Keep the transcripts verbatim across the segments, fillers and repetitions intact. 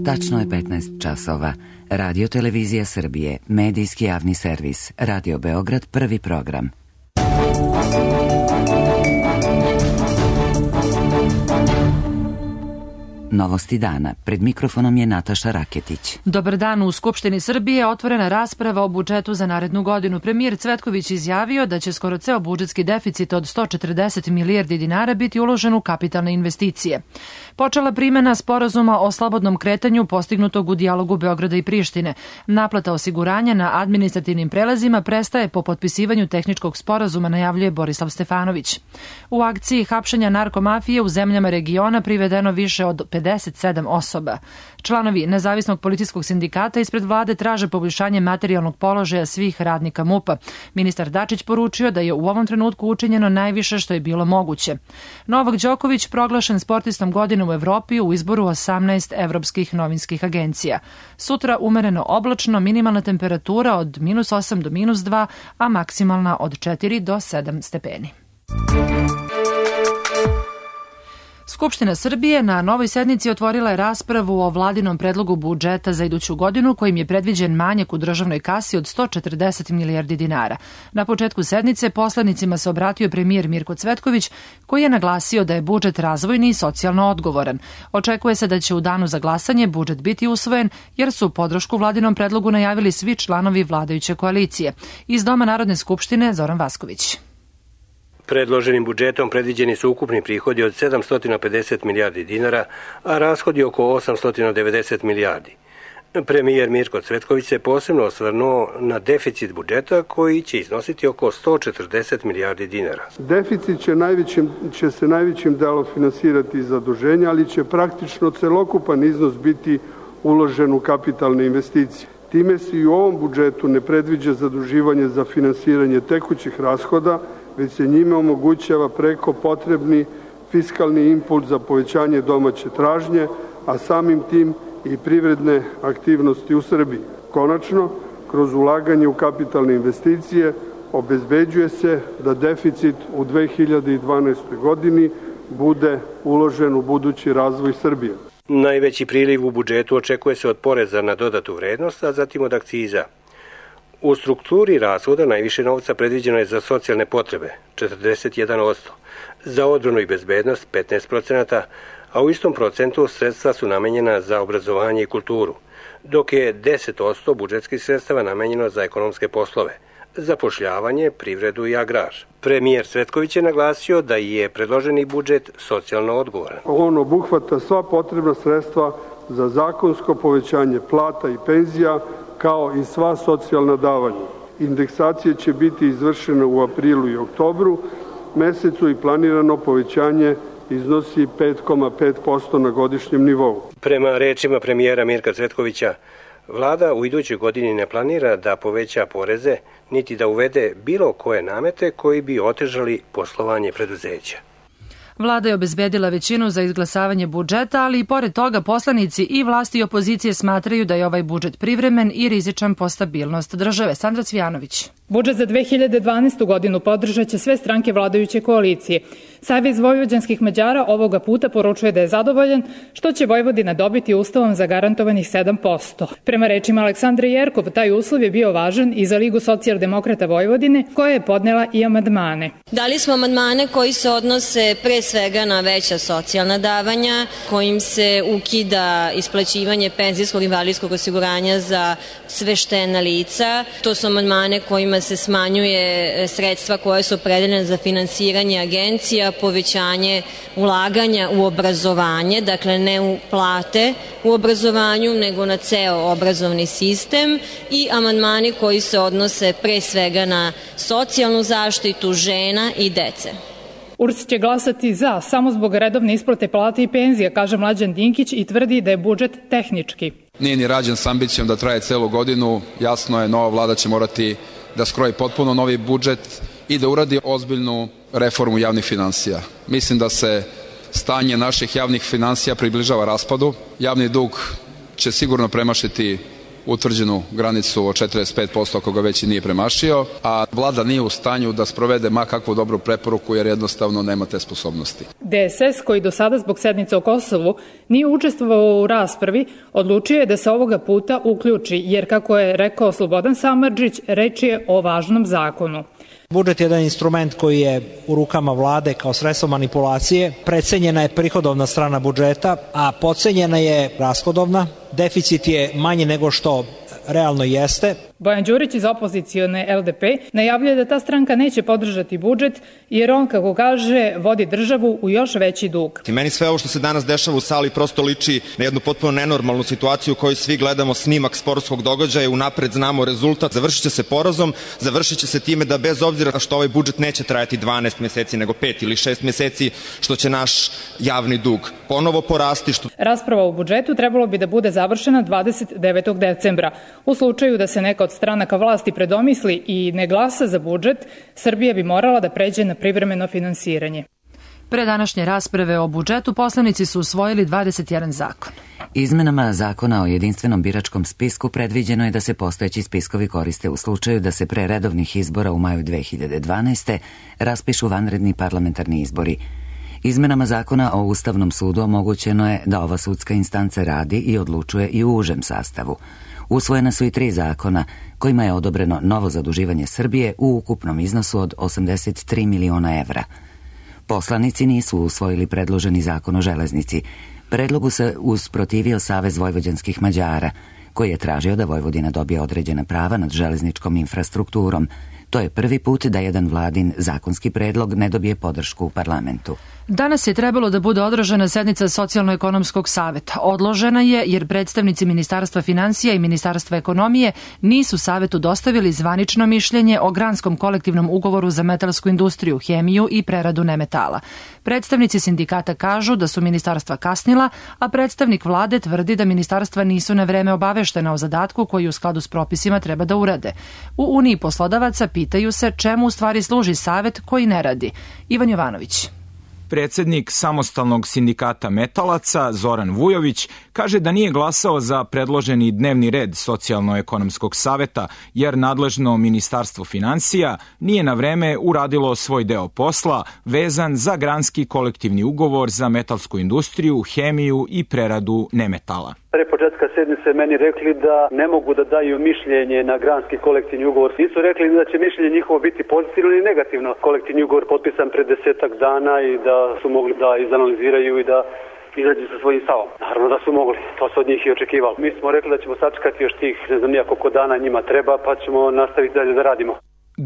Tačno je petnaest časova. Radio Televizija Srbije, medijski javni servis, Radio Beograd, prvi program. Novosti dana. Pred mikrofonom je Nataša Raketić. Dobar dan. U Skupštini Srbije otvorena rasprava o budžetu za narednu godinu. Premijer Cvetković izjavio da će skoro ceo budžetski deficit od sto četrdeset milijardi dinara biti uložen u kapitalne investicije. Počela primena sporazuma o slobodnom kretanju postignutog u dijalogu Beograda i Prištine. Naplata osiguranja na administrativnim prelazima prestaje po potpisivanju tehničkog sporazuma, najavljuje Borislav Stefanović. U akciji hapšenja narkomafije u zemljama regiona privedeno više od pedeset sedam osoba. Članovi Nezavisnog policijskog sindikata ispred vlade traže poboljšanje materijalnog položaja svih radnika MUP-a. Ministar Dačić poručio da je u ovom trenutku učinjeno najviše što je bilo moguće. Novak Đoković proglašen sportistom godine u Evropi u izboru osamnaest evropskih novinskih agencija. Sutra umereno oblačno, minimalna temperatura od minus osam do minus dva, a maksimalna od četiri do sedam stepeni. Skupština Srbije na novoj sednici otvorila je raspravu o vladinom predlogu budžeta za iduću godinu kojim je predviđen manjak u državnoj kasi od sto četrdeset milijardi dinara. Na početku sednice poslanicima se obratio premijer Mirko Cvetković koji je naglasio da je budžet razvojni i socijalno odgovoran. Očekuje se da će u danu za glasanje budžet biti usvojen jer su podršku vladinom predlogu najavili svi članovi vladajuće koalicije. Iz Doma Narodne skupštine Zoran Vasković. Predloženim budžetom predviđeni su ukupni prihodi od sedamsto pedeset milijardi dinara, a rashodi oko osamsto devedeset milijardi. Premijer Mirko Cvetković se posebno osvrnuo na deficit budžeta koji će iznositi oko sto četrdeset milijardi dinara. Deficit će, najvećim, će se najvećim delom finansirati iz zaduženja, ali će praktično celokupan iznos biti uložen u kapitalne investicije. Time se i u ovom budžetu ne predviđa zaduživanje za finansiranje tekućih rashoda, već se njime omogućava preko potrebni fiskalni impuls za povećanje domaće tražnje, a samim tim i privredne aktivnosti u Srbiji. Konačno, kroz ulaganje u kapitalne investicije obezbeđuje se da deficit u dve hiljade dvanaestoj godini bude uložen u budući razvoj Srbije. Najveći priliv u budžetu očekuje se od poreza na dodatu vrednost, a zatim od akciza. U strukturi rashoda najviše novca predviđeno je za socijalne potrebe, četrdeset jedan posto, za odbranu i bezbednost petnaest posto, a u istom procentu sredstva su namenjena za obrazovanje i kulturu, dok je deset posto budžetskih sredstava namenjeno za ekonomske poslove, zapošljavanje, privredu i agrar. Premijer Cvetković je naglasio da je predloženi budžet socijalno odgovoran. On obuhvata sva potrebna sredstva za zakonsko povećanje plata i penzija, kao i sva socijalna davanja. Indeksacije će biti izvršene u aprilu i oktobru mesecu i planirano povećanje iznosi pet zarez pet posto na godišnjem nivou. Prema rečima premijera Mirka Cvetkovića, vlada u idućoj godini ne planira da poveća poreze, niti da uvede bilo koje namete koji bi otežali poslovanje preduzeća. Vlada je obezbedila većinu za izglasavanje budžeta, ali i pored toga poslanici i vlasti i opozicije smatraju da je ovaj budžet privremen i rizičan po stabilnost države. Sandra Cvijanović. Budžet za dve hiljade dvanaestu. godinu podržat će sve stranke vladajuće koalicije. Savez vojvođanskih Mađara ovoga puta poručuje da je zadovoljan što će Vojvodina dobiti ustavom zagarantovanih sedam posto. Prema rečima Aleksandre Jerkov, taj uslov je bio važan i za Ligu socijaldemokrata Vojvodine, koja je podnela i amandmane. Dali smo amandmane koji se odnose pre svega na veća socijalna davanja, kojim se ukida isplaćivanje penzijskog i invalidskog osiguranja za sveštena lica. To su amandmane kojima se smanjuje sredstva koje su opredeljene za finansiranje agencija, povećanje ulaganja u obrazovanje, dakle ne u plate u obrazovanju, nego na ceo obrazovni sistem, i amandmani koji se odnose pre svega na socijalnu zaštitu žena i dece. U R S će glasati za samo zbog redovne isplate plate i penzija, kaže Mlađan Dinkić i tvrdi da je budžet tehnički. Nije ni rađen s ambicijom da traje celu godinu, jasno je, nova vlada će morati da skroji potpuno novi budžet i da uradi ozbiljnu reformu javnih finansija. Mislim da se stanje naših javnih finansija približava raspadu. Javni dug će sigurno premašiti utvrđenu granicu od četrdeset pet posto ako ga već i nije premašio, a vlada nije u stanju da sprovede ma kakvu dobru preporuku jer jednostavno nema te sposobnosti. D S S, koji do sada zbog sednice o Kosovu nije učestvovao u raspravi, odlučio je da se ovoga puta uključi, jer kako je rekao Slobodan Samardžić, reč je o važnom zakonu. Budžet je jedan instrument koji je u rukama vlade kao sredstvo manipulacije. Precenjena je prihodovna strana budžeta, a podcenjena je rashodovna. Deficit je manji nego što realno jeste. Bojan Đurić iz opozicione L D P najavljuje da ta stranka neće podržati budžet jer on, kako kaže, vodi državu u još veći dug. I meni sve ovo što se danas dešava u sali prosto liči na jednu potpuno nenormalnu situaciju u kojoj svi gledamo snimak sportskog događaja, unapred znamo rezultat, završit će se porazom, završit će se time da bez obzira što ovaj budžet neće trajati dvanaest meseci nego pet ili šest meseci, što će naš javni dug ponovo porasti. Što... Rasprava o budžetu trebalo bi da bude završena dvadeset devetog decembra. U slučaju da se neka od stranaka vlasti predomisli i ne glasa za budžet, Srbija bi morala da pređe na privremeno finansiranje. Pre današnje rasprave o budžetu poslanici su usvojili dvadeset jedan zakon. Izmenama zakona o jedinstvenom biračkom spisku predviđeno je da se postojeći spiskovi koriste u slučaju da se pre redovnih izbora u maju dve hiljade dvanaeste. raspišu vanredni parlamentarni izbori. Izmenama zakona o Ustavnom sudu omogućeno je da ova sudska instanca radi i odlučuje i u užem sastavu. Usvojena su i tri zakona kojima je odobreno novo zaduživanje Srbije u ukupnom iznosu od osamdeset tri miliona evra. Poslanici nisu usvojili predloženi zakon o železnici. Predlogu se usprotivio Savez vojvođanskih Mađara, koji je tražio da Vojvodina dobije određena prava nad železničkom infrastrukturom. To je prvi put da jedan vladin zakonski predlog ne dobije podršku u parlamentu. Danas je trebalo da bude održana sednica Socijalno-ekonomskog saveta. Odložena je jer predstavnici Ministarstva finansija i Ministarstva ekonomije nisu savetu dostavili zvanično mišljenje o granskom kolektivnom ugovoru za metalsku industriju, hemiju i preradu nemetala. Predstavnici sindikata kažu da su ministarstva kasnila, a predstavnik vlade tvrdi da ministarstva nisu na vreme obaveštena o zadatku koji u skladu s propisima treba da urade. U Uniji poslodavaca pitaju se čemu u stvari služi savet koji ne radi. Ivan Jovanović. Predsednik samostalnog sindikata metalaca Zoran Vujović kaže da nije glasao za predloženi dnevni red Socijalno-ekonomskog saveta jer nadležno Ministarstvo finansija nije na vreme uradilo svoj deo posla vezan za granski kolektivni ugovor za metalsku industriju, hemiju i preradu nemetala. Pre početka sednice meni rekli da ne mogu da daju mišljenje na granski kolektivni ugovor. Nisu rekli da će mišljenje njihovo biti pozitivno ili negativno. Kolektivni ugovor potpisan pre desetak dana i da su mogli da izanaliziraju i da izađu sa svojim stavom. Naravno da su mogli, to se od njih i očekivalo. Mi smo rekli da ćemo sačekati još tih, ne znam nijako koliko dana njima treba, pa ćemo nastaviti dalje da radimo.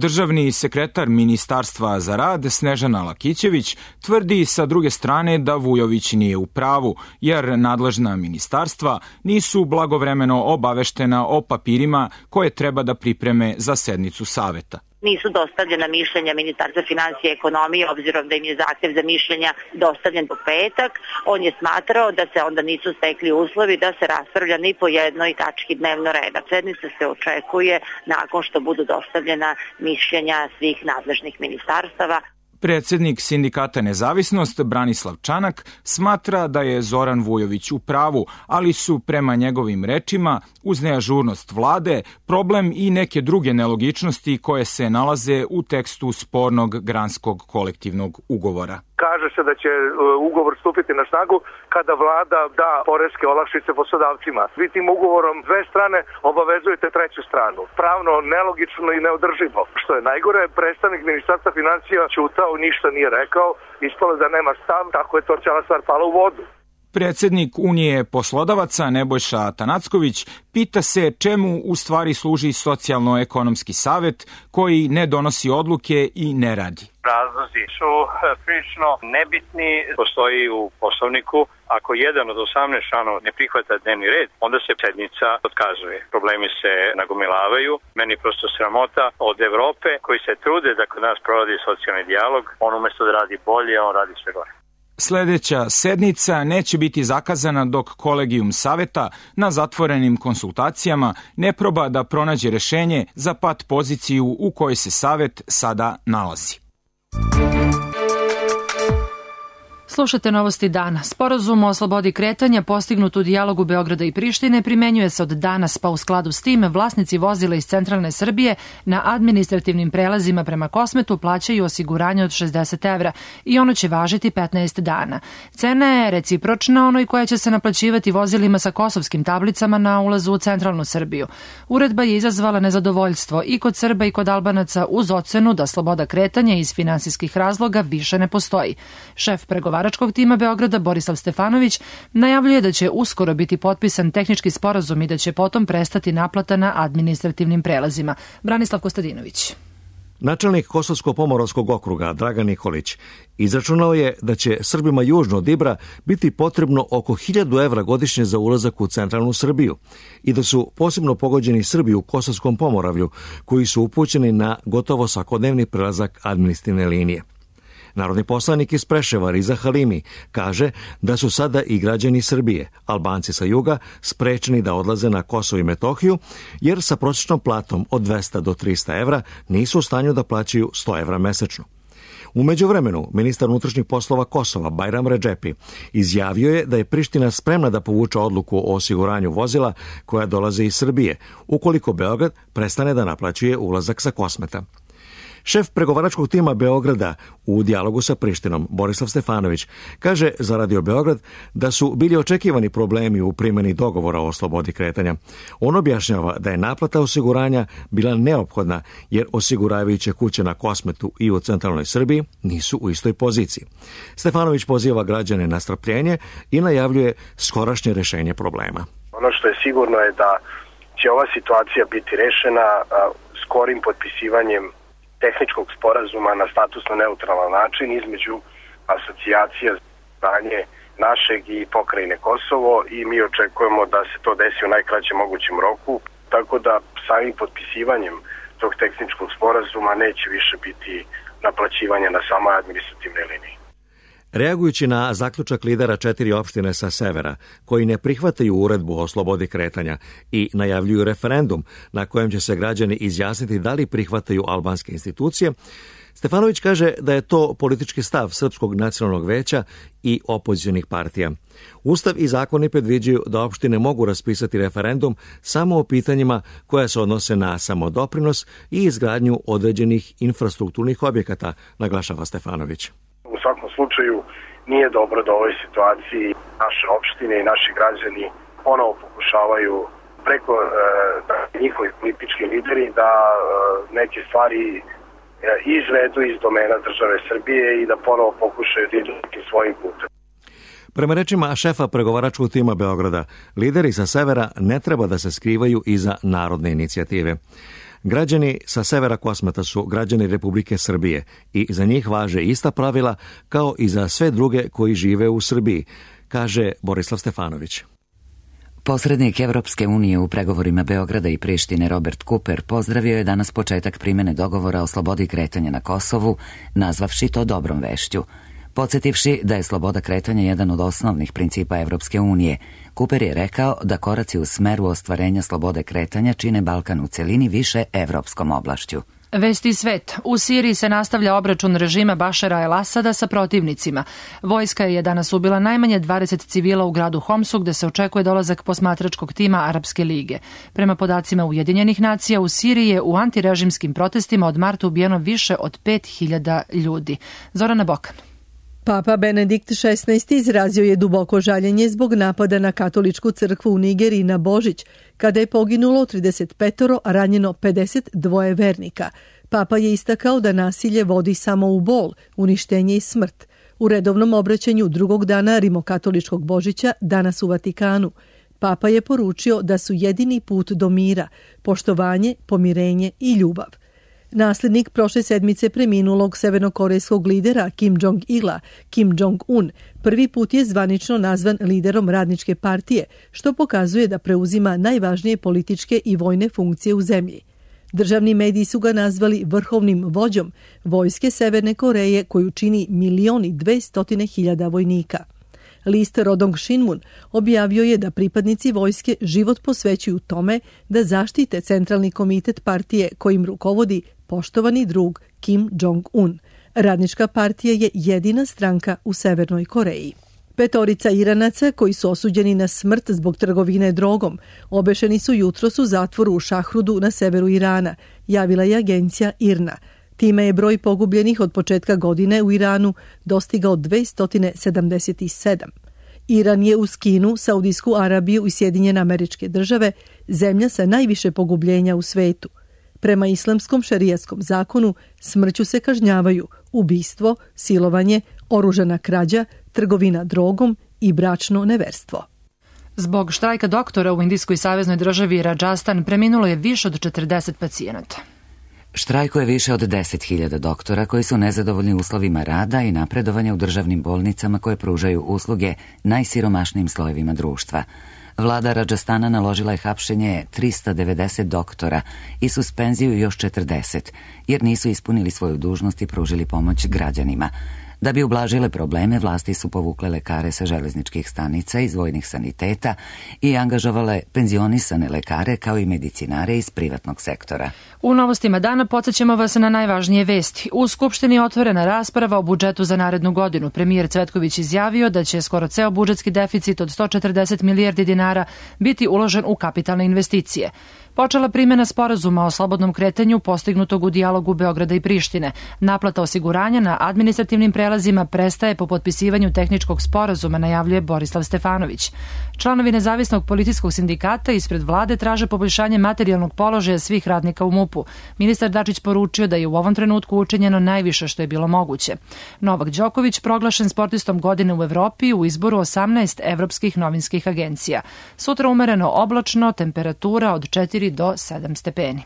Državni sekretar Ministarstva za rad Snežana Lakićević tvrdi sa druge strane da Vujović nije u pravu, jer nadležna ministarstva nisu blagovremeno obaveštena o papirima koje treba da pripreme za sednicu saveta. Nisu dostavljena mišljenja Ministarstva finansija i ekonomije, obzirom da im je zahtev za mišljenja dostavljen po petak. On je smatrao da se onda nisu stekli uslovi da se raspravlja ni po jednoj tački dnevnog reda. Sednica se očekuje nakon što budu dostavljena mišljenja svih nadležnih ministarstava. Predsednik sindikata Nezavisnost Branislav Čanak smatra da je Zoran Vujović u pravu, ali su prema njegovim rečima uz neažurnost vlade problem i neke druge nelogičnosti koje se nalaze u tekstu spornog granskog kolektivnog ugovora. Kaže se da će ugovor stupiti na snagu kada vlada da poreske olakšice poslodavcima. Vi tim ugovorom dve strane obavezujete treću stranu. Pravno nelogično i neodrživo. Što je najgore, predstavnik Ministarstva finansija ćutao, ništa nije rekao, ispalo da nema stav, tako je to cijela stvar pala u vodu. Predsednik Unije poslodavaca Nebojša Atanacković pita se čemu u stvari služi Socijalno-ekonomski savet koji ne donosi odluke i ne radi. Razlozi su prilično nebitni. Postoji u poslovniku, ako jedan od osamnaest članova ne prihvata dnevni red, onda se sednica otkazuje. Problemi se nagomilavaju. Meni prosto sramota od Evrope koji se trude da kod nas provodi socijalni dijalog. On umesto da radi bolje, on radi sve gore. Sledeća sednica neće biti zakazana dok kolegijum saveta na zatvorenim konsultacijama ne proba da pronađe rešenje za pat poziciju u kojoj se savet sada nalazi. Slušate novosti dana. Sporazum o slobodi kretanja postignut u dijalogu Beograda i Prištine primenjuje se od danas, pa u skladu s tim vlasnici vozila iz centralne Srbije na administrativnim prelazima prema Kosmetu plaćaju osiguranje od šezdeset evra i ono će važiti petnaest dana. Cena je recipročna onoj koja će se naplaćivati vozilima sa kosovskim tablicama na ulazu u centralnu Srbiju. Uredba je izazvala nezadovoljstvo i kod Srba i kod Albanaca uz ocenu da sloboda kretanja iz finansijskih razloga više ne postoji. Šef pregovaračkog tima Beograda Borislav Stefanović najavljuje da će uskoro biti potpisan tehnički sporazum i da će potom prestati naplata na administrativnim prelazima. Branislav Kostadinović. Načelnik Kosovsko-Pomoravskog okruga Dragan Nikolić izračunao je da će Srbima južno od Ibra biti potrebno oko hiljadu evra godišnje za ulazak u centralnu Srbiju i da su posebno pogođeni Srbi u Kosovskom Pomoravlju koji su upućeni na gotovo svakodnevni prelazak administrativne linije. Narodni poslanik iz Preševa Riza Halimi kaže da su sada i građani Srbije, Albanci sa juga, sprečeni da odlaze na Kosovo i Metohiju, jer sa prosječnom platom od dvesta do trista evra nisu u stanju da plaćaju sto evra mesečno. U međuvremenu, ministar unutrašnjih poslova Kosova, Bajram Redžepi, izjavio je da je Priština spremna da povuče odluku o osiguranju vozila koja dolaze iz Srbije, ukoliko Beograd prestane da naplaćuje ulazak sa Kosmeta. Šef pregovaračkog tima Beograda u dijalogu sa Prištinom, Borislav Stefanović, kaže za Radio Beograd da su bili očekivani problemi u primjeni dogovora o slobodi kretanja. On objašnjava da je naplata osiguranja bila neophodna jer osiguravajuće kuće na Kosmetu i u centralnoj Srbiji nisu u istoj poziciji. Stefanović poziva građane na strpljenje i najavljuje skorašnje rešenje problema. Ono što je sigurno je da će ova situacija biti rešena skorim potpisivanjem tehničkog sporazuma na statusno neutralan način između asocijacija stanje našeg i pokrajine Kosovo i mi očekujemo da se to desi u najkraćem mogućem roku, tako da samim potpisivanjem tog tehničkog sporazuma neće više biti naplaćivanja na samoj administrativnoj liniji. Reagujući na zaključak lidera četiri opštine sa severa, koji ne prihvataju uredbu o slobodi kretanja i najavljuju referendum na kojem će se građani izjasniti da li prihvataju albanske institucije, Stefanović kaže da je to politički stav Srpskog nacionalnog veća i opozicionih partija. Ustav i zakoni predviđaju da opštine mogu raspisati referendum samo o pitanjima koja se odnose na samodoprinos i izgradnju određenih infrastrukturnih objekata, naglašava Stefanović. U svakom slučaju nije dobro da u ovoj situaciji naše opštine i naši građani ponovo pokušavaju preko e, da, njihovi politički lideri da e, neke stvari e, izvedu iz domena države Srbije i da ponovo pokušaju da idu svojim putem. Prema rečima šefa pregovaračkog tima Beograda, lideri sa severa ne treba da se skrivaju iza narodne inicijative. Građani sa severa Kosmeta su građani Republike Srbije i za njih važe ista pravila kao i za sve druge koji žive u Srbiji, kaže Borislav Stefanović. Posrednik Evropske unije u pregovorima Beograda i Prištine Robert Cooper pozdravio je danas početak primjene dogovora o slobodi kretanja na Kosovu, nazvavši to dobrom vešću. Podsjetivši da je sloboda kretanja jedan od osnovnih principa Evropske unije, Cooper je rekao da koraci u smeru ostvarenja slobode kretanja čine Balkan u celini više evropskom oblašću. Vesti svet. U Siriji se nastavlja obračun režima Bašara el-Asada sa protivnicima. Vojska je danas ubila najmanje dvadeset civila u gradu Homsu, gde se očekuje dolazak posmatračkog tima Arapske lige. Prema podacima Ujedinjenih nacija, u Siriji je u antirežimskim protestima od marta ubijeno više od pet hiljada ljudi. Zorana Bokan. Papa Benedikt šesnaesti izrazio je duboko žaljenje zbog napada na katoličku crkvu u Nigeriji na Božić, kada je poginulo trideset petoro, a ranjeno pedeset dva vernika. Papa je istakao da nasilje vodi samo u bol, uništenje i smrt. U redovnom obraćanju drugog dana rimokatoličkog Božića, danas u Vatikanu, Papa je poručio da su jedini put do mira, poštovanje, pomirenje i ljubav. Naslednik prošle sedmice preminulog severnokorejskog lidera Kim Jong-ila, Kim Jong-un, prvi put je zvanično nazvan liderom radničke partije, što pokazuje da preuzima najvažnije političke i vojne funkcije u zemlji. Državni mediji su ga nazvali vrhovnim vođom vojske Severne Koreje, koju čini milion i dvestotine hiljada vojnika. List Rodong Shinmun objavio je da pripadnici vojske život posvećuju tome da zaštite centralni komitet partije kojim rukovodi poštovani drug Kim Jong-un. Radnička partija je jedina stranka u Severnoj Koreji. Petorica Iranaca koji su osuđeni na smrt zbog trgovine drogom obešeni su jutros u zatvoru u Šahrudu na severu Irana, javila je agencija I R N A. Time je broj pogubljenih od početka godine u Iranu dostigao dvesta sedamdeset sedam. Iran je uz Kinu, Saudijsku Arabiju i Sjedinjene Američke Države zemlja sa najviše pogubljenja u svetu. Prema islamskom šerijaskom zakonu smrću se kažnjavaju ubistvo, silovanje, oružana krađa, trgovina drogom i bračno neverstvo. Zbog štrajka doktora u Indijskoj saveznoj državi Rajasthan preminulo je više od četrdeset pacijenata. Štrajkuje više od deset hiljada doktora koji su nezadovoljni uslovima rada i napredovanja u državnim bolnicama koje pružaju usluge najsiromašnijim slojevima društva. Vlada Rajasthana naložila je hapšenje trista devedeset doktora i suspenziju još četrdeset, jer nisu ispunili svoju dužnost i pružili pomoć građanima. Da bi ublažile probleme, vlasti su povukle lekare sa železničkih stanica iz vojnih saniteta i angažovale penzionisane lekare kao i medicinare iz privatnog sektora. U novostima dana podsjećamo vas na najvažnije vesti. U Skupštini je otvorena rasprava o budžetu za narednu godinu. Premijer Cvetković izjavio da će skoro ceo budžetski deficit od sto četrdeset milijardi dinara biti uložen u kapitalne investicije. Počela primjena sporazuma o slobodnom kretanju postignutog u dijalogu Beograda i Prištine. Naplata osiguranja na administrativnim prelazima prestaje po potpisivanju tehničkog sporazuma, najavljuje Borislav Stefanović. Članovi nezavisnog policijskog sindikata ispred vlade traže poboljšanje materijalnog položaja svih radnika u MUP-u. Ministar Dačić poručio da je u ovom trenutku učinjeno najviše što je bilo moguće. Novak Đoković proglašen sportistom godine u Evropi u izboru osamnaest evropskih novinskih agencija. Sutra umereno oblačno, temperatura od četiri do sedam stepeni.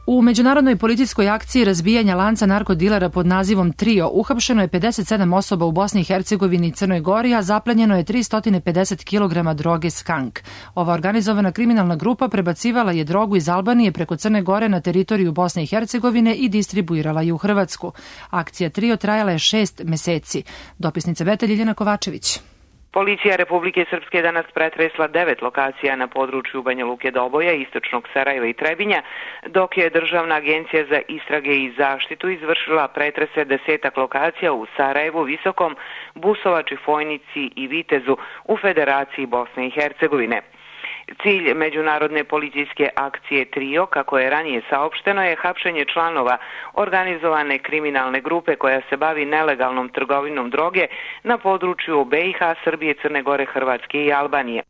U međunarodnoj policijskoj akciji razbijanja lanca narkodilera pod nazivom Trio uhapšeno je pedeset sedam osoba u Bosni i Hercegovini i Crnoj Gori, a zaplenjeno je tristo pedeset kilograma droge Skank. Ova organizovana kriminalna grupa prebacivala je drogu iz Albanije preko Crne Gore na teritoriju Bosne i Hercegovine i distribuirala je u Hrvatsku. Akcija Trio trajala je šest meseci. Dopisnica Beta Ljiljana Kovačević. Policija Republike Srpske danas pretresla devet lokacija na području Banja Luke, Doboja, istočnog Sarajeva i Trebinja, dok je Državna agencija za istrage i zaštitu izvršila pretrese desetak lokacija u Sarajevu, Visokom, Busovači, Fojnici i Vitezu u Federaciji Bosne i Hercegovine. Cilj međunarodne policijske akcije Trio, kako je ranije saopšteno, je hapšenje članova organizovane kriminalne grupe koja se bavi nelegalnom trgovinom droge na području B i H, Srbije, Crne Gore, Hrvatske i Albanije.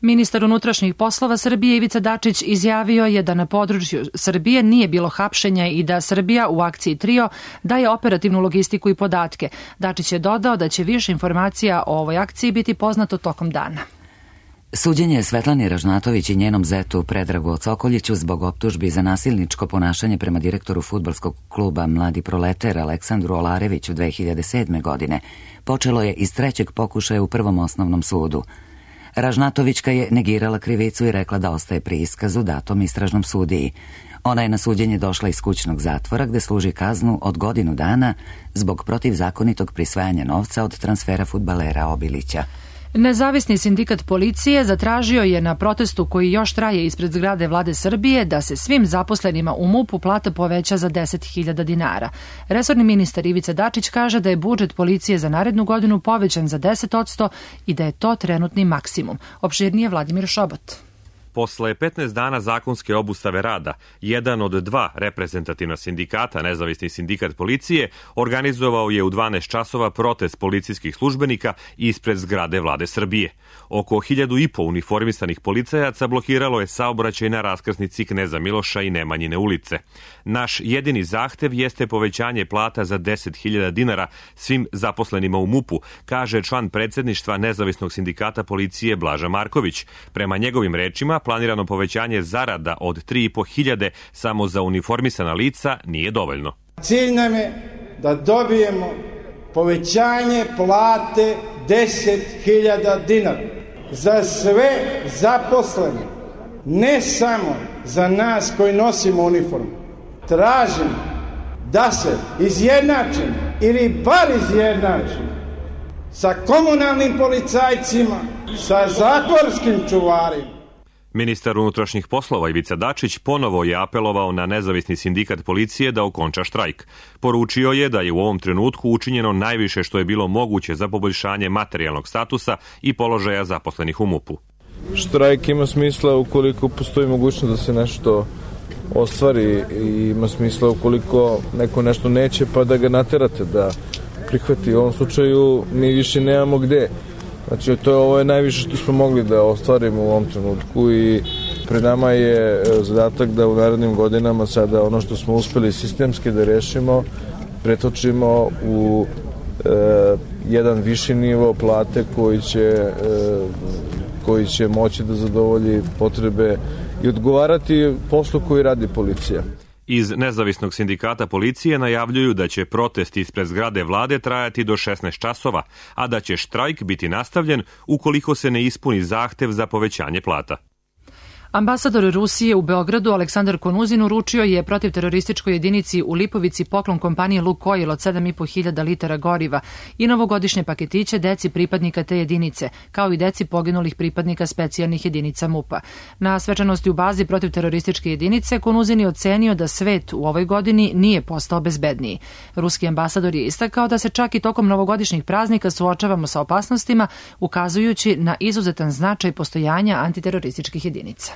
Ministar unutrašnjih poslova Srbije Ivica Dačić izjavio je da na području Srbije nije bilo hapšenja i da Srbija u akciji Trio daje operativnu logistiku i podatke. Dačić je dodao da će više informacija o ovoj akciji biti poznato tokom dana. Suđenje Svetlani Ražnatović i njenom zetu Predragu Cokoljiću zbog optužbi za nasilničko ponašanje prema direktoru fudbalskog kluba Mladi Proleter Aleksandru Olareviću dve hiljade sedme. godine počelo je iz trećeg pokušaja u Prvom osnovnom sudu. Ražnatovićka je negirala krivicu i rekla da ostaje pri iskazu datom istražnom sudiji. Ona je na suđenje došla iz kućnog zatvora gde služi kaznu od godinu dana zbog protivzakonitog prisvajanja novca od transfera fudbalera Obilića. Nezavisni sindikat policije zatražio je na protestu koji još traje ispred zgrade Vlade Srbije da se svim zaposlenima u MUP-u plata poveća za deset hiljada dinara. Resorni ministar Ivica Dačić kaže da je budžet policije za narednu godinu povećan za deset posto i da je to trenutni maksimum. Opširnije Vladimir Šobot. Posle petnaest dana zakonske obustave rada, jedan od dva reprezentativna sindikata, Nezavisni sindikat policije, organizovao je u dvanaest časova protest policijskih službenika ispred zgrade Vlade Srbije. Oko hiljadu i po uniformisanih policajaca blokiralo je saobraćaj na raskrsnici Kneza Miloša i Nemanjine ulice. Naš jedini zahtev jeste povećanje plata za deset hiljada dinara svim zaposlenima u MUP-u, kaže član predsedništva Nezavisnog sindikata policije Blaža Marković. Prema njegovim rečima, planirano povećanje zarada od tri i po hiljade samo za uniformisana lica nije dovoljno. Cilj nam je da dobijemo povećanje plate deset hiljada dinara za sve zaposlene, ne samo za nas koji nosimo uniformu. Tražim da se izjednačimo ili bar izjednačimo sa komunalnim policajcima, sa zatvorskim čuvarima. Ministar unutrašnjih poslova Ivica Dačić ponovo je apelovao na nezavisni sindikat policije da okonča štrajk. Poručio je da je u ovom trenutku učinjeno najviše što je bilo moguće za poboljšanje materijalnog statusa i položaja zaposlenih u MUP-u. Štrajk ima smisla ukoliko postoji mogućnost da se nešto ostvari i ima smisla ukoliko neko nešto neće pa da ga naterate da prihvati. U ovom slučaju mi više nemamo gde. Znači to je ovo je najviše što smo mogli da ostvarimo u ovom trenutku i pred nama je zadatak da u narednim godinama sada ono što smo uspeli sistemski da rešimo pretočimo u e, jedan viši nivo plate koji će, e, koji će moći da zadovolji potrebe i odgovarati poslu koji radi policija. Iz nezavisnog sindikata policije najavljuju da će protest ispred zgrade vlade trajati do šesnaest časova, a da će štrajk biti nastavljen ukoliko se ne ispuni zahtev za povećanje plata. Ambasador Rusije u Beogradu Aleksandar Konuzin uručio je protiv terorističkoj jedinici u Lipovici poklon kompanije Lukoil od sedam i po hiljada litara goriva i novogodišnje paketiće deci pripadnika te jedinice, kao i deci poginulih pripadnika specijalnih jedinica MUP-a. Na svečanosti u bazi protiv terorističke jedinice Konuzin je ocenio da svet u ovoj godini nije postao bezbedniji. Ruski ambasador je istakao da se čak i tokom novogodišnjih praznika suočavamo sa opasnostima, ukazujući na izuzetan značaj postojanja antiterorističkih jedinica.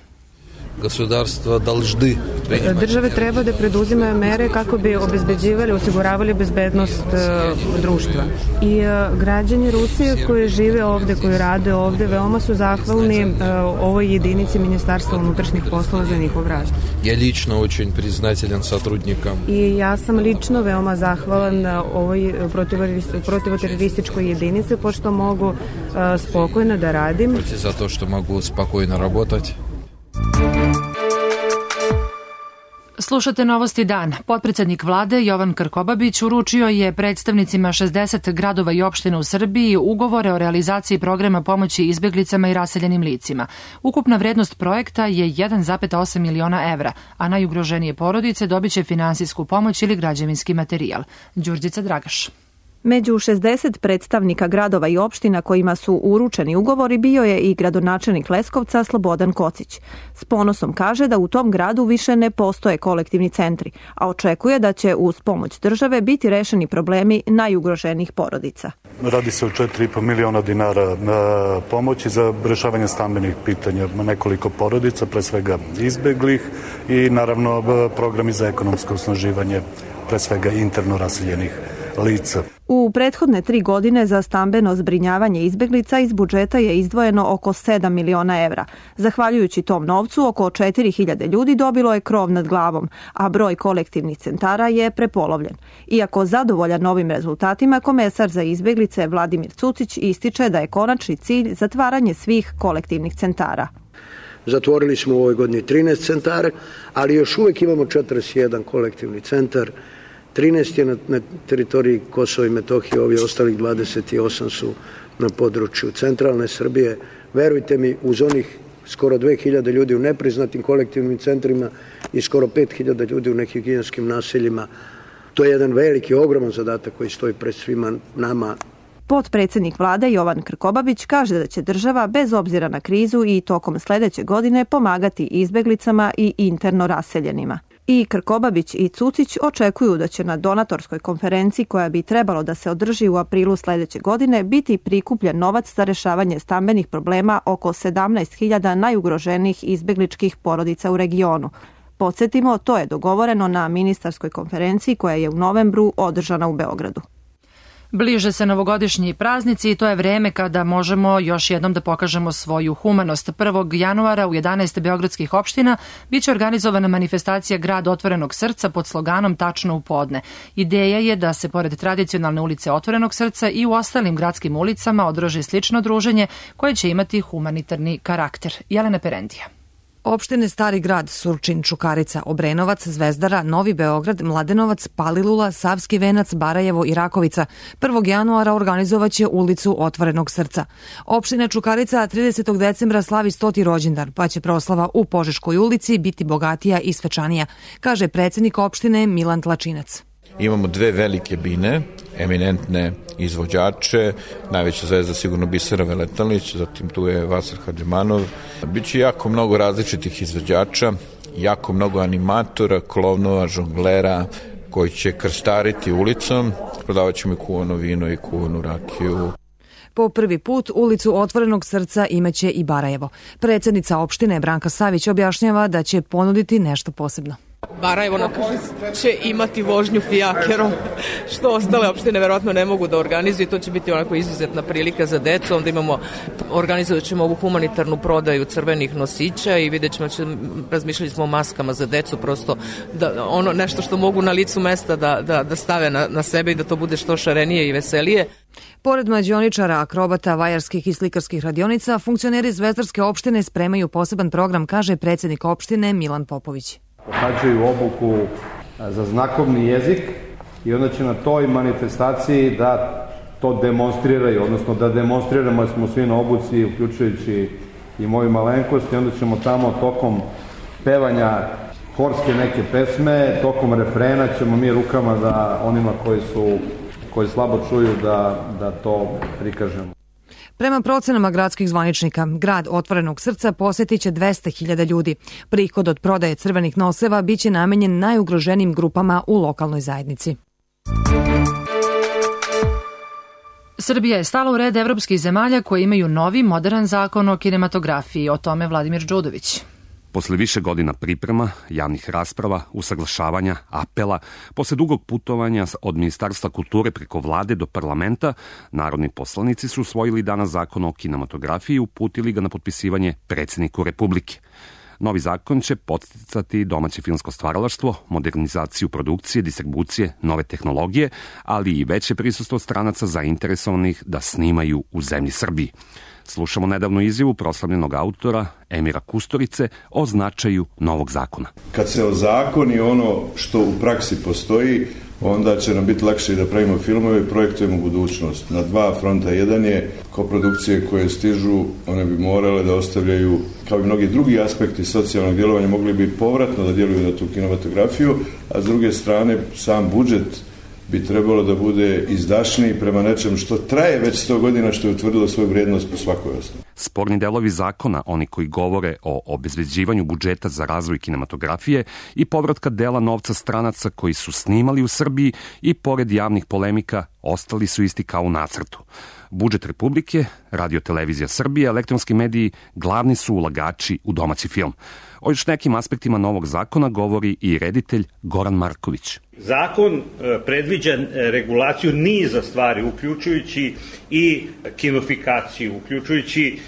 Države treba da preduzimaju mere kako bi obezbeđivali, osiguravali bezbednost uh, društva. I uh, građani Rusije koji žive ovde, koji rade ovde, veoma su zahvalni uh, ovoj jedinici Ministarstva unutrašnjih poslova za njihov rad. Ja lično очень признателен сотрудникам. I ja sam lično veoma zahvalan ovoj protivoterorističkoj jedinici, pošto mogu uh, spokojno da radim. Za to što mogu spokojno raditi. Slušate Novosti dan. Potpredsednik vlade Jovan Krkobabić uručio je predstavnicima šezdeset gradova i opština u Srbiji ugovore o realizaciji programa pomoći izbeglicama i raseljenim licima. Ukupna vrednost projekta je jedan zarez osam miliona evra, a najugroženije porodice dobiće finansijsku pomoć ili građevinski materijal. Đurđica Dragaš. Među šezdeset predstavnika gradova i opština kojima su uručeni ugovori bio je i gradonačelnik Leskovca Slobodan Kocić. S ponosom kaže da u tom gradu više ne postoje kolektivni centri, a očekuje da će uz pomoć države biti rešeni problemi najugroženijih porodica. Radi se o četiri i po miliona dinara pomoći za rešavanje stambenih pitanja nekoliko porodica, pre svega izbeglih i naravno programi za ekonomsko osnaživanje, pre svega interno raseljenih lica. U prethodne tri godine za stambeno zbrinjavanje izbeglica iz budžeta je izdvojeno oko sedam miliona evra. Zahvaljujući tom novcu, oko četiri hiljade ljudi dobilo je krov nad glavom, a broj kolektivnih centara je prepolovljen. Iako zadovoljan novim rezultatima, komesar za izbeglice Vladimir Cucić ističe da je konačni cilj zatvaranje svih kolektivnih centara. Zatvorili smo u ovoj godini trinaest centara, ali još uvek imamo četrdeset jedan kolektivni centar. trinaest je na, na teritoriji Kosova i Metohije, ovi ostalih dvadeset osam su na području centralne Srbije. Verujte mi, uz onih skoro dve hiljade ljudi u nepriznatim kolektivnim centrima i skoro pet hiljada ljudi u nehigijenskim naseljima, to je jedan veliki, ogroman zadatak koji stoji pred svima nama. Potpredsednik vlade Jovan Krkobabić kaže da će država bez obzira na krizu i tokom sledeće godine pomagati izbeglicama i interno raseljenima. I Krkobabić i Cucić očekuju da će na donatorskoj konferenciji koja bi trebalo da se održi u aprilu sledeće godine biti prikupljen novac za rešavanje stambenih problema oko sedamnaest hiljada najugroženijih izbegličkih porodica u regionu. Podsjetimo, to je dogovoreno na ministarskoj konferenciji koja je u novembru održana u Beogradu. Bliže se novogodišnji praznici i to je vreme kada možemo još jednom da pokažemo svoju humanost. prvog januara u jedanaest beogradskih opština biće organizovana manifestacija Grad otvorenog srca pod sloganom Tačno u podne. Ideja je da se pored tradicionalne ulice Otvorenog srca i u ostalim gradskim ulicama održi slično druženje koje će imati humanitarni karakter. Jelena Perendija. Opštine Stari grad, Surčin, Čukarica, Obrenovac, Zvezdara, Novi Beograd, Mladenovac, Palilula, Savski venac, Barajevo i Rakovica prvog januara organizovaće ulicu Otvorenog srca. Opština Čukarica tridesetog decembra slavi stoti rođendan, pa će proslava u Požeškoj ulici biti bogatija i svečanija, kaže predsednik opštine Milan Tlačinac. Imamo dve velike bine, eminentne izvođače, najveća zvezda sigurno Bisera Veletalić, zatim tu je Vasar Hadžimanov. Biće jako mnogo različitih izvođača, jako mnogo animatora, klovnova, žonglera, koji će krstariti ulicom, prodavat ćemo i kuvano vino i kuvanu rakiju. Po prvi put ulicu Otvorenog srca imaće i Barajevo. Predsjednica opštine Branka Savić objašnjava da će ponuditi nešto posebno. Barajevo će imati vožnju fijakerom, što ostale opštine verovatno ne mogu da organizuju. To će biti onako izuzetna prilika za decu. Onda imamo, organizovat ćemo ovu humanitarnu prodaju crvenih nosića i vidjet ćemo, razmišljali smo o maskama za decu, prosto da, ono nešto što mogu na licu mesta da, da, da stave na, na sebe i da to bude što šarenije i veselije. Pored mađioničara, akrobata, vajarskih i slikarskih radionica, funkcioneri Zvezdarske opštine spremaju poseban program, kaže predsjednik opštine Milan Popović. Pohađaju obuku za znakovni jezik i onda će na toj manifestaciji da to demonstriraju, odnosno da demonstriramo da smo svi na obuci, uključujući i moju malenkost, i onda ćemo tamo tokom pevanja horske neke pesme, tokom refrena ćemo mi rukama da onima koji su koji slabo čuju da, da to prikažemo. Prema procenama gradskih zvaničnika, grad Otvorenog srca posjetit će dvesta hiljada ljudi. Prihod od prodaje crvenih noseva biće namenjen najugroženijim grupama u lokalnoj zajednici. Srbija je stala u red evropskih zemalja koje imaju novi, modern zakon o kinematografiji. O tome Vladimir Đudović. Posle više godina priprema, javnih rasprava, usaglašavanja, apela, posle dugog putovanja od Ministarstva kulture preko vlade do parlamenta, narodni poslanici su usvojili danas zakon o kinematografiji i uputili ga na potpisivanje predsjedniku Republike. Novi zakon će podsticati domaće filmsko stvaralaštvo, modernizaciju produkcije, distribucije, nove tehnologije, ali i veće prisustvo stranaca zainteresovanih da snimaju u zemlji Srbiji. Slušamo nedavnu izjavu proslavljenog autora Emira Kusturice o značaju novog zakona. Kad se ozakoni ono što u praksi postoji, onda će nam biti lakše da pravimo filmove i projektujemo budućnost. Na dva fronta. Jedan je koprodukcije koje stižu, one bi morale da ostavljaju, kao i mnogi drugi aspekti socijalnog djelovanja, mogli bi povratno da djeluju na tu kinematografiju, a s druge strane sam budžet bi trebalo da bude izdašniji prema nečem što traje već sto godina, što je utvrdilo svoju vrijednost po svakoj osnovi. Sporni delovi zakona, oni koji govore o obezbeđivanju budžeta za razvoj kinematografije i povratka dela novca stranaca koji su snimali u Srbiji i pored javnih polemika, ostali su isti kao u nacrtu. Budžet Republike, Radio Televizija Srbije, elektronski mediji glavni su ulagači u domaći film. O još nekim aspektima novog zakona govori i reditelj Goran Marković. Zakon predviđa regulaciju niza stvari, uključujući i kinofikaciju, uključujući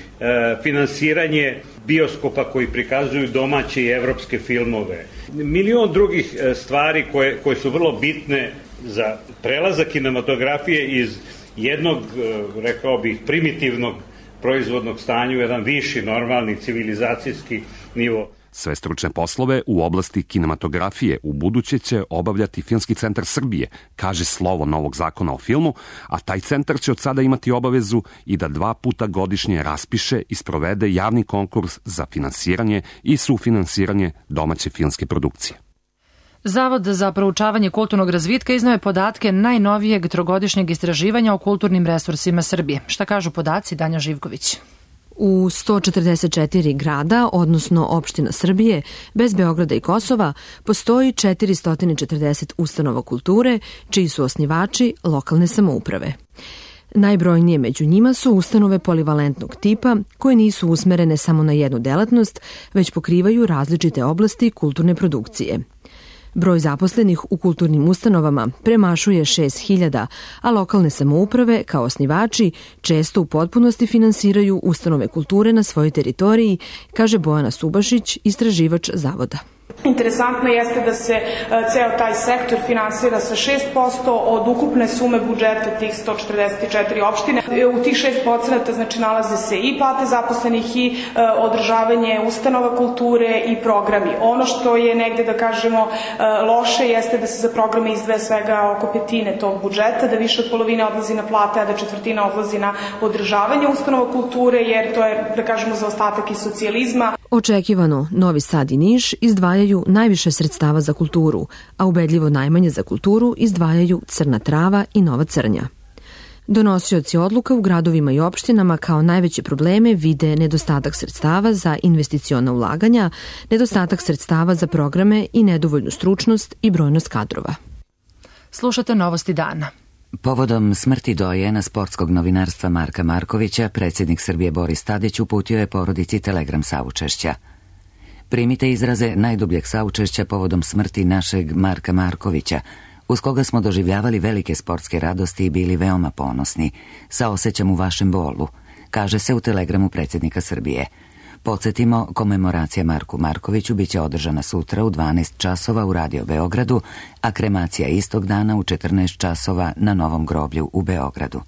finansiranje bioskopa koji prikazuju domaće i evropske filmove. Milion drugih stvari koje, koje su vrlo bitne za prelazak kinematografije iz jednog, rekao bih, primitivnog proizvodnog stanja u jedan viši, normalni, civilizacijski nivo. Sve stručne poslove u oblasti kinematografije u buduće će obavljati Filmski centar Srbije, kaže slovo novog zakona o filmu, a taj centar će od sada imati obavezu i da dva puta godišnje raspiše i sprovede javni konkurs za finansiranje i sufinansiranje domaće filmske produkcije. Zavod za proučavanje kulturnog razvitka iznao je podatke najnovijeg trogodišnjeg istraživanja o kulturnim resursima Srbije. Šta kažu podaci? Danja Živković. U sto četrdeset četiri grada, odnosno opština Srbije, bez Beograda i Kosova, postoji četiristo četrdeset ustanova kulture, čiji su osnivači lokalne samouprave. Najbrojnije među njima su ustanove polivalentnog tipa, koje nisu usmerene samo na jednu delatnost, već pokrivaju različite oblasti kulturne produkcije. Broj zaposlenih u kulturnim ustanovama premašuje šest hiljada, a lokalne samouprave, kao osnivači, često u potpunosti finansiraju ustanove kulture na svojoj teritoriji, kaže Bojana Subašić, istraživač zavoda. Interesantno jeste da se ceo taj sektor finansira sa šest posto od ukupne sume budžeta tih sto četrdeset četiri opštine. U tih šest posto znači nalaze se i plate zaposlenih i održavanje ustanova kulture i programi. Ono što je negde, da kažemo, loše jeste da se za programe izdvaja svega oko petine tog budžeta, da više od polovine odlazi na plate, a da četvrtina odlazi na održavanje ustanova kulture, jer to je, da kažemo, zaostatak iz socijalizma. Očekivano, Novi Sad i Niš izdvajaju najviše sredstava za kulturu, a ubedljivo najmanje za kulturu izdvajaju Crna Trava i Nova Crnja. Donosioci odluka u gradovima i opštinama kao najveće probleme vide nedostatak sredstava za investiciona ulaganja, nedostatak sredstava za programe i nedovoljnu stručnost i brojnost kadrova. Slušate Novosti dana. Povodom smrti dojena sportskog novinarstva Marka Markovića, predsjednik Srbije Boris Tadić uputio je porodici telegram saučešća. Primite izraze najdubljeg saučešća povodom smrti našeg Marka Markovića, uz koga smo doživljavali velike sportske radosti i bili veoma ponosni. Saosećam u vašem bolu, kaže se u telegramu predsjednika Srbije. Podsjetimo, komemoracija Marku Markoviću biće održana sutra u dvanaest časova u Radio Beogradu, a kremacija istog dana u četrnaest časova na Novom groblju u Beogradu.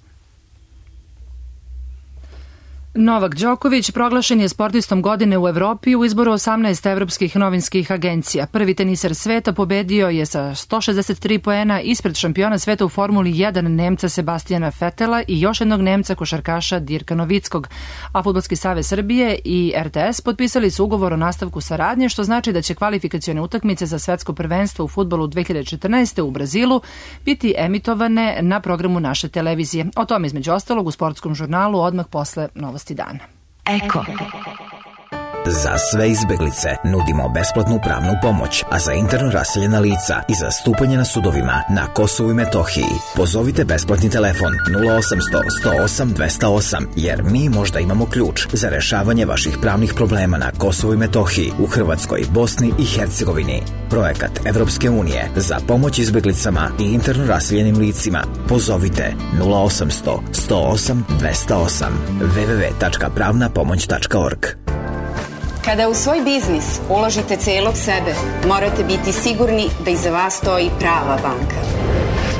Novak Đoković proglašen je sportistom godine u Evropi u izboru osamnaest evropskih novinskih agencija. Prvi teniser sveta pobedio je sa sto šezdeset tri poena ispred šampiona sveta u Formuli jedan Nemca Sebastijana Vetela i još jednog Nemca košarkaša Dirka Novickog. A Fudbalski savez Srbije i er te es potpisali su ugovor o nastavku saradnje, što znači da će kvalifikacione utakmice za svetsko prvenstvo u fudbalu dve hiljade četrnaeste. u Brazilu biti emitovane na programu naše televizije. O tome između ostalog u sportskom žurnalu odmah posle Novosti dana. Eko. Za sve izbeglice nudimo besplatnu pravnu pomoć, a za interno raseljena lica i za stupanje na sudovima na Kosovu i Metohiji pozovite besplatni telefon nula osamsto sto osam dvesta osam, jer mi možda imamo ključ za rešavanje vaših pravnih problema na Kosovu i Metohiji, u Hrvatskoj, Bosni i Hercegovini. Projekat Evropske unije za pomoć izbeglicama i interno raseljenim licima. Pozovite nula osamsto sto osam dvesta osam w w w tačka pravna pomoć tačka org. Kada u svoj biznis uložite celog sebe, morate biti sigurni da iza vas stoji prava banka.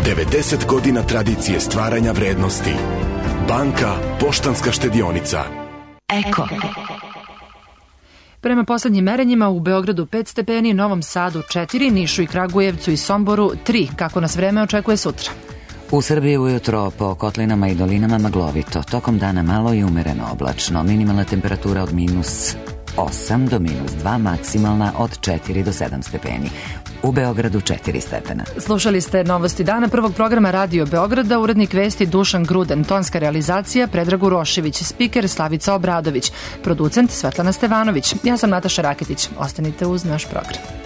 devedeset godina tradicije stvaranja vrednosti. Banka Poštanska štedionica. Eko. Prema poslednjim merenjima u Beogradu pet stepeni, Novom Sadu četiri, Nišu i Kragujevcu i Somboru tri. Kako nas vreme očekuje sutra? U Srbiji ujutro po kotlinama i dolinama maglovito, tokom dana malo i umereno oblačno, minimalna temperatura od minus osam do minus dva, maksimalna od četiri do sedam stepeni. U Beogradu četiri stepena. Slušali ste Novosti dana prvog programa Radio Beograda, urednik vesti Dušan Gruden, tonska realizacija Predrag Urošević, spiker Slavica Obradović, producent Svetlana Stevanović. Ja sam Nataša Raketić. Ostanite uz naš program.